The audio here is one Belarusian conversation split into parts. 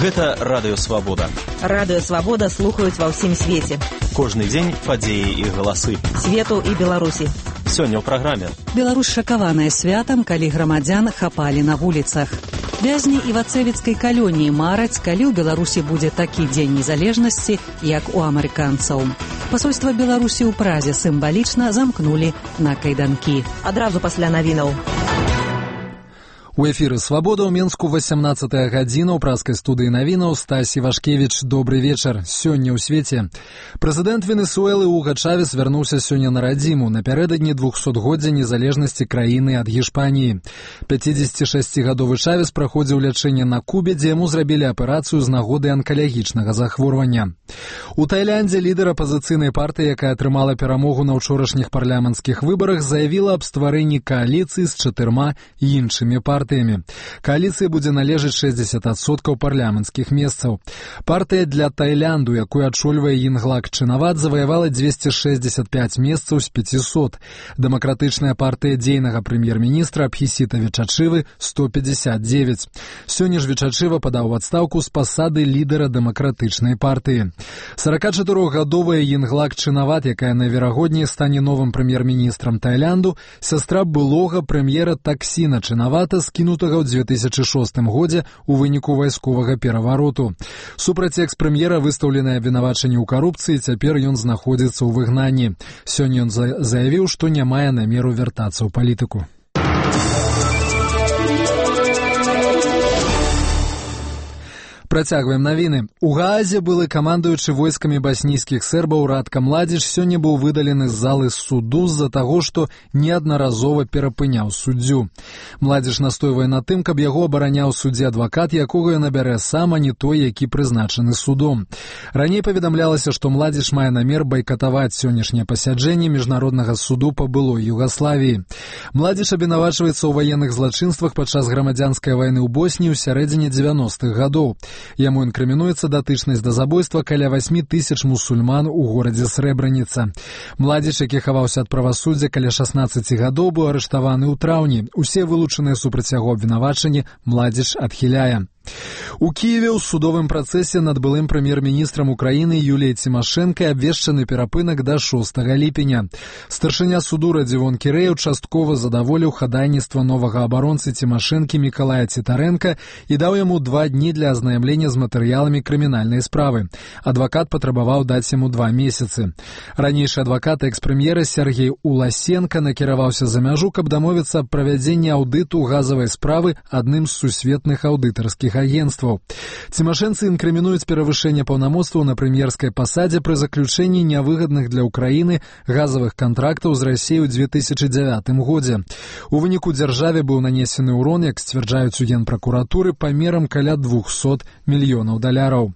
Гэта Радыё Свабода. Радыё Свабода слухаюць ва ўсім свеце. Кожны дзень падзеі і галасы. Свету і Беларусі. Сёння ў праграме. Беларусь шакаваная святам, калі грамадзян хапалі на вуліцах. Вязні івацэвіцкай калоніі мараць, калі ў Беларусі будзе такі дзень незалежнасці, як у амерыканцаў. Пасольства Беларусі ў Празе сімвалічна замкнулі на кайданкі. Адразу пасля навінаў. У эфіры «Свабода» ў Менску 18-я гадзіна ў празкай студыі навінаў. Стась Івашкевіч, добрый вечар. Сёння ў свеце. Прэзідэнт Венесуэлы Уга Чавес вярнуўся сёння на радзіму напярэдадні 200-годдзя незалежнасці краіны ад Гішпаніі. 56-гадовы Чавес праходзіў лячэнне на Кубе, дзе яму зрабілі аперацыю з нагоды анкалагічнага захворвання. У Тайландзе лідар апазіцыйнай партыі, якая атрымала перамогу на ўчорашніх парламенцкіх выбарах, заявіла аб стварэнні кааліцыі з 4 іншымі партыямі. Кааліцыі будзе належаць 60% парламенцкіх месцаў. Партыя для Тайлянду, якую ачольвае Йинглак Чинават, заваявала 265 месцаў з 500. Дэмакратычная партыя дзейнага прэм'ер-міністра Абхісіта Вечачывы 159. Сёння ж Вечачыва падаў у адстаўку з пасады лідара дэмакратычнай партыі. 44-гадовая Йинглак Чинават, якая найверагодней стане новым прэм'ер-міністрам Тайлянду, сястра былога прэм'ера Таксіна Чинавата, скінутага ў 2006 годзе у выніку вайсковага перавароту. Супраць экс-прэм'ера выстаўленае абвінавачанне ў карупцыі, цяпер ён знаходзіцца ў выгнанні. Сёння ён заявіў, што не мае намеру вяртацца ў палітыку. Працягваем навіны. У Гаазе былы камандуючы войскамі баснійскіх сербаў Радка Младзіч сёння быў выдалены з залы суду з-за таго, што неаднаразова перапыняў суддзю. Младзіч настойвае на тым, каб яго абараняў суддзі адвакат, якога ён набярэ сам, а не той, які прызначаны судом. Раней паведамлялася, што Младзіч мае намер байкатаваць сённяшняе пасяджэнне міжнароднага суду па былой Югаславіі. Младзіч абвінавачваецца ў ваенных злачынствах падчас грамадзянскай вайны ў Босніі ў сярэдзіне 90-х гадоў. Яму інкрымінуецца датычнасць да забойства каля 8 тысяч мусульман у горадзе Срэбраніца. Младзіч, які хаваўся ад правасуддзя каля 16 гадоў, быў арыштаваны ў траўні. Усе вылучаныя супраць яго абвінавачанні Младзіч адхіляе. У Киеве ў судовым працэсе над былым прэм'ер-міністрам Украіны Юліяй Цімашэнкай абвешчаны перапынак да 6 ліпеня. Старшыня суду Радзівон Кірэеў часткова задаволіў хадайніцтва новага абаронцы Цімашэнкі Мікалая Цітарэнка і даў яму 2 дні для азнаямлення з матэрыяламі крымінальнай справы. Адвакат патрабаваў даць яму 2 месяцы. Ранейшы адвакат экс-прэм'ера Сергей Уласенка накіраваўся за мяжу, каб дамовіцца аб правядзенні аўдыту газавай справы адным з сусветных аўдытарскіх агентстваў. Цімашэнцы інкрымінуюць перавышэнне паўнамоцтваў на прэм'ерскай пасадзе пры заключэнні нявыгадных для Ўкраіны газавых кантрактаў з Расіяй у 2009 годзе. У выніку дзяржаве быў нанесены ўрон, як сцвярджаюць у Генпракуратуры, памерам каля $200 мільёнаў.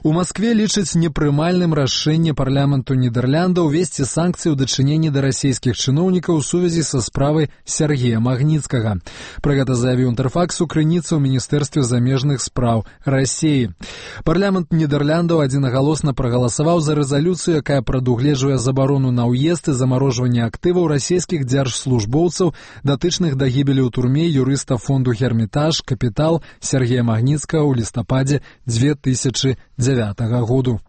У Маскве лічаць непрымальным рашэнне парламенту Нідерландаў увесці санкцыі ў дачыненні да расійскіх чыноўнікаў у сувязі са справай Сергея Магніцкага. Пра гэта заявіў Інтэрфаксу крыніца ў Міністэрстве замежных спраў Расіі. Парламент Нідерландаў адзінагалосна прагаласаваў за рэзалюцыю, якая прадугледжвае забарону на ўезд і замарожванне актываў расійскіх дзяржслужбоўцаў, датычных да гібелі ў турме юрыста фонду «Гермітаж» «Капітал» Сергея Магніцкага ў лістападзе 2009 году.